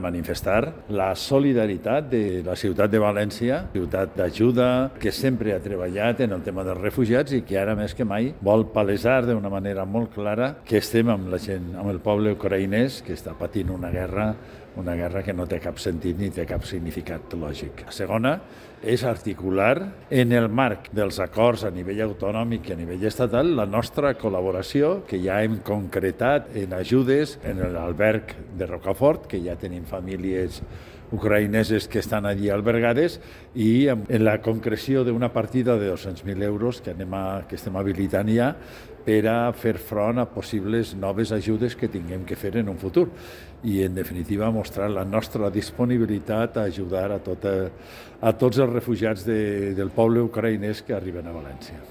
Manifestar la solidaritat de la ciutat de València, ciutat d'ajuda, que sempre ha treballat en el tema dels refugiats i que ara més que mai vol palesar d'una manera molt clara que estem amb la gent, amb el poble ucraïnès que està patint una guerra que no té cap sentit ni té cap significat lògic. La segona és articular en el marc dels acords a nivell autonòmic i a nivell estatal la nostra col·laboració, que ja hem concretat en ajudes en l'alberg de Rocafort, que ja tenim famílies ucraïneses que estan allí albergades, i en la concreció d'una partida de 200.000 euros que estem habilitant ja per a fer front a possibles noves ajudes que tinguem que fer en un futur. I, en definitiva, mostrar la nostra disponibilitat a ajudar a tots els refugiats del poble ucraïnès que arriben a València.